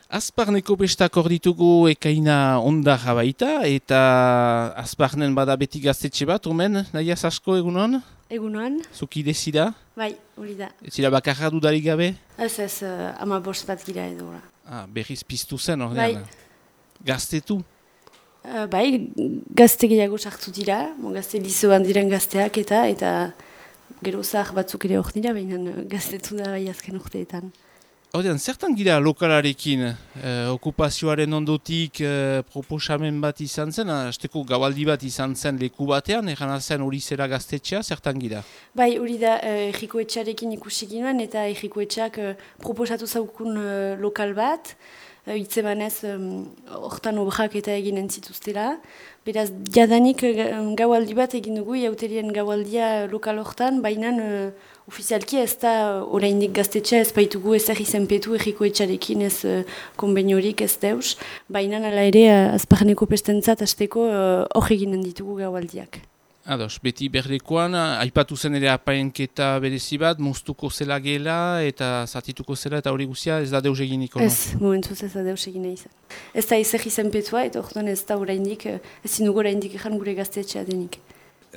Azparneko pestak hor ditugu ekaina ondarra baita, eta Azparnen bada beti gaztetxe bat, omen, nahiaz asko egunon? Egunon. Zukide zira? Bai, hori da. Ez zira bakarra dudarik gabe? Ez, ama bost bat gira edo. Berriz piztu zen hor Bai. Gaztetu? Bai, gazte gehiago sartu dira, gazte lizoan diren gazteak eta gero zahar batzuk ere hor dira, baina gaztetu da bai azken urteetan. Hordean, zertan gira lokalarekin? Okupazioaren ondotik proposamen bat izan zen, hasteko gabaldi bat izan zen leku batean, erana zen hori zera gaztetxea, zertan gira? Bai, hori da Ejiko Etxarekin ikusi ginoen, eta Ejiko Etxak proposatu zaukun lokal bat, hitzemanez hortan obrak eta eginen zituztela. Beraz, jadanik gaualdi bat egin dugu, jauterien gaualdia lokal hortan, baina ofizialki ez da oraindik gaztetxea ez baitugu ezer izenpetu Ejiko Etxarekin ez konbeniorik ez deus, baina ala ere Azparneko pestentzat hasteko hor eginen ditugu gaualdiak. Ados, beti berdekoan, aipatu zen ere apainketa berezi bat, moztuko zela gela eta zatituko zela eta hori guzia ez da deus eginiko, no? Ez, momentuz ez da deus egina izan. Ez da ezer izenpetua eta orduan ez da oraindik, ezin dugu oraindik ezan gure gaztetxea denik.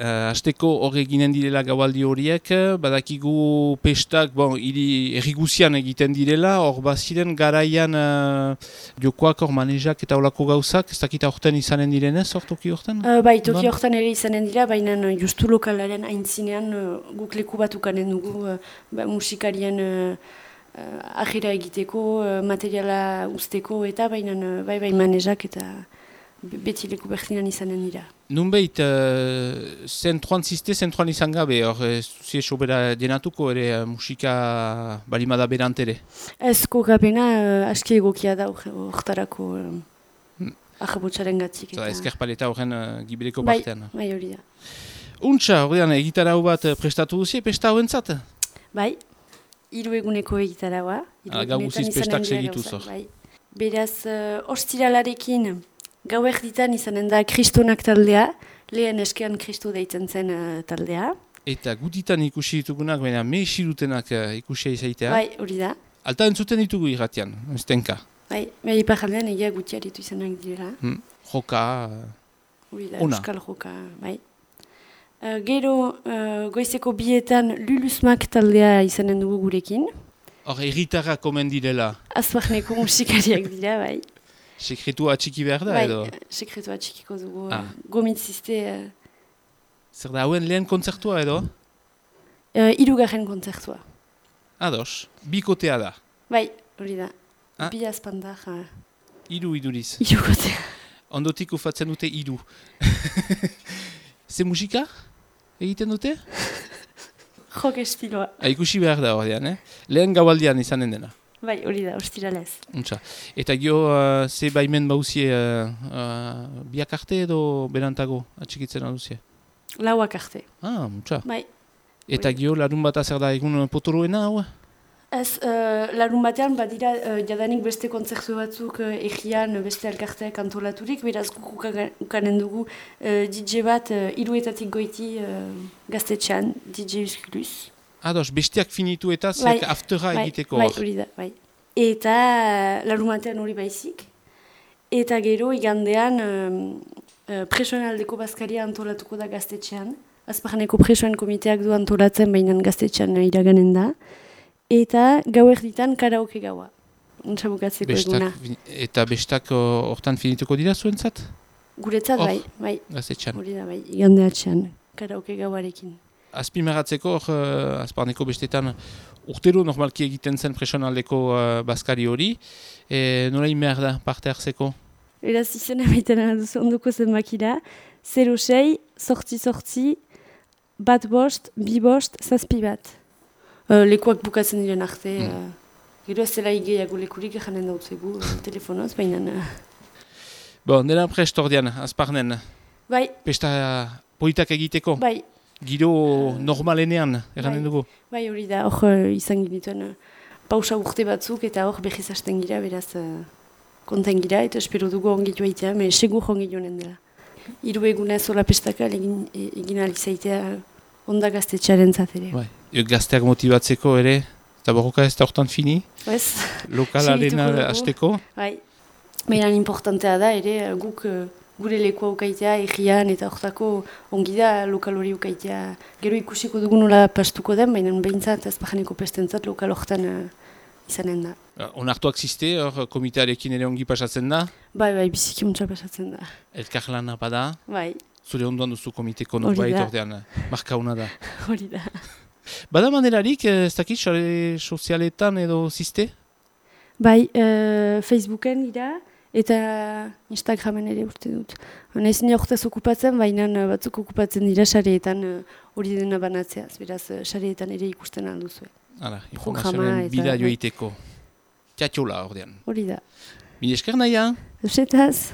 Hasteko hor eginen direla gaualdi horiek, badakigu pestak, erriguzian egiten direla, hor baziren garaian jokoak hor manejak eta olako gauzak, ez dakita horten izanen direnez, hor toki horten? Bai, toki horten ere izanen dira, baina justu lokalaren aintzinean guk leku bat ukanen dugu musikarien ajera egiteko, materiala usteko eta baina bai manejak eta beti leku bertinan izanen dira. Nunbait, zentruan izan gabe, hor zuzie sobera denatuko ere musika balimada berant ere? Ez kokapena aski egokia da horretarako ahabotsaren gatik. Ezkerpaleta horren gibeleko partean. Bai, hori da. Untxa, horrean egitarau bat prestatu duzie, pesta hauentzat? Bai, 3 eguneko egitaraua. Gau guziz pestak segituz hor. Beraz, ostiralarekin gau erditan izanen da Kristonak taldea, lehen eskean Kristo deitzen zen taldea. Eta gutitan ikusi ditugunak, baina mehirutenak ikusia izaitea. Bai, hori da. Alta entzuten ditugu irratian, ez tenka. Bai, iparaldean egia gutiaritu izanak direla. Joka, hori da, euskal joka, bai. Gero, goizeko bietan Lulusmak taldea izanen dugu gurekin. Hor, erritarrak omen direla. Azparneko musikariak dira, bai. Sekretua atxiki behar da, edo? Bai, sekretua atxikiko dugu. Gomitzizte. Zer da, hauen lehen kontzertua, edo? 3. kontzertua. Ados, bikotea da? Bai, hori da. Bi azpandar. 3 iduriz. 3 kotea. Ondotik ufatzen dute 3. Ze musika egiten dute? Jok estiloa. Ikusi behar da horrean, Lehen gaualdian izanen dena. Bai, hori da, ostiralez. Eta gio, ze baimen bauzie biak arte edo berantago atxikitzen aduzie? 4 arte. Untxa. Bai. Eta gio, larun bat azer da egun potoroena, hau? Ez, larun batean badira jadanik beste kontzertu batzuk egian beste elkarteak antolaturik, beraz guk ukanen dugu DJ bat 3 goiti gaztetxean, DJ Uskulus. Ados, bestiak finitu eta zek aftera egiteko hor. Bai, hori da, bai. Eta larumatean hori baizik. Eta gero igandean presoenaldeko bazkaria antolatuko da gaztetxean. Azparneko presoen komiteak du antolatzen baina gaztetxean iraganen da. Eta gau erditan karaoke gaua. Untsa bukatzeko eguna. Eta bestak hortan finituko dira zuentzat? Guretzat bai. Gaztetxean. Hori da bai, igandeatxean karaoke gauarekin. Azpimagatzeko, Azparneko bestetan urtero normalki egiten zen presionaldeko bazkari hori. Nola inmer da parte hartzeko? Eraz izena baiten duzu ondoko zenbakira. 06, sortzi, 1-5, 2-7 bat. Lekuak bukatzen diren arte. Gero ez dela igeiago lekurik janen dautzegu telefonoz, baina... Bon, dela prest ordean, Azparnen. Bai. Pesta politak egiteko? Bai. Giro normalenean, eranen dugu? Bai, hori da, hor izan ginituen pausa urte batzuk eta hor behiz hasten gira, beraz konten gira eta espero dugu ongitu aitea, segur ongitu honen dela. 3 egunez hola pestaka egin alizaitea onda gaztetxearen zatere. Bai, gazteak motibatzeko ere, Eta borroka ez da hortan fini? Ez. Lokalarena Segituko dugu. hasteko? Bai. Baina importantea da, ere guk gure lekua ukaitea, egian eta hortako ongi da lokal hori ukaitea. Gero ikusiko dugu nola pastuko den, baina behintzat ez bajaneko pestentzat lokal hortan izanen da. Onartuak ziste, hor komitearekin ere ongi pasatzen da? Bai, biziki muntza pasatzen da. Elkarlana bada? Bai. Zure ondoan duzu komiteko norbait ordean, markauna da. Hori da. Bada manerarik, ez dakit, sare sozialetan edo ziste? Bai, Facebooken ira eta Instagramen ere urte dut. Naiz nire horretaz okupatzen, baina batzuk okupatzen dira sareetan hori dena banatzeaz. Beraz, sareetan ere ikusten alduzue. Hala, informazioaren bida joiteko. Txatxola ordean. Hori da. Mil esker naia? Eusetaz.